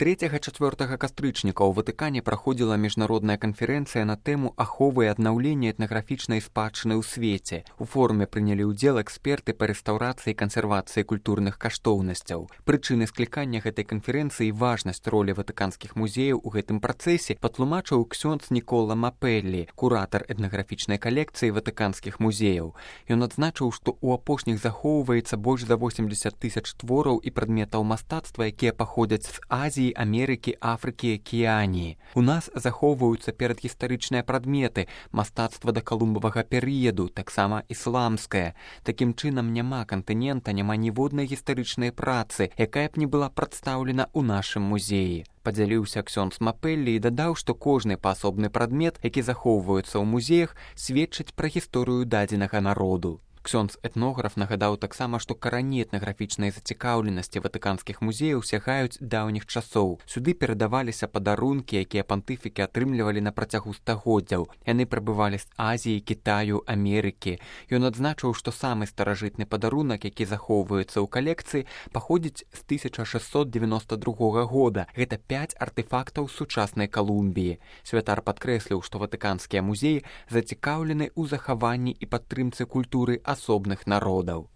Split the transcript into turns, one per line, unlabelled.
3-4 кастрычніка ў Ватыкане праходзіла міжнародная канферэнцыя на тэму аховы і аднаўлення этнаграфічнай спадчыны ў свеце. У форуме прынялі ўдзел эксперты па рэстаўрацыі і кансервацыі культурных каштоўнасцяў. Прычыны склікання гэтай канферэнцыі і важнасць ролі ватыканскіх музеяў у гэтым працэсе патлумачыў ксёндз Нікола Мапеллі, куратар этнаграфічнай калекцыі ватыканскіх музеяў. Ён адзначыў, што ў апошніх захоўваецца больш за 80 000 твораў і прадметаў мастацтва, якія паходзяць з Азіі, Амерыкі, Афрыкі, Акіяніі. У нас захоўваюцца перадгістарычныя прадметы, мастацтва да калумбавага перыяду, таксама ісламскае. Такім чынам няма кантынента, няма ніводнай гістарычнай працы, якая б не была прадстаўлена ў нашым музеі. Падзяліўся ксёндз Мапеллі і дадаў, што кожны паасобны прадмет, які захоўваецца ў музеях, сведчыць пра гісторыю дадзенага народу. Ксёндз-этнограф нагадаў таксама, што карані этнаграфічнай зацікаўленасці ватыканскіх музеяў сягаюць даўніх часоў. Сюды перадаваліся падарункі, якія пантыфікі атрымлівалі на працягу стагоддзяў. Яны прыбывалі з Азіі, Кітаю, Амерыкі. Ён адзначыў, што самы старажытны падарунак, які захоўваецца ў калекцыі, паходзіць з 1692 года. Гэта 5 артэфактаў сучаснай Калумбіі. Святар падкрэсліў, што ватыканскія музеі зацікаўлены ў захаванні і падтрымцы культуры асобных народаў.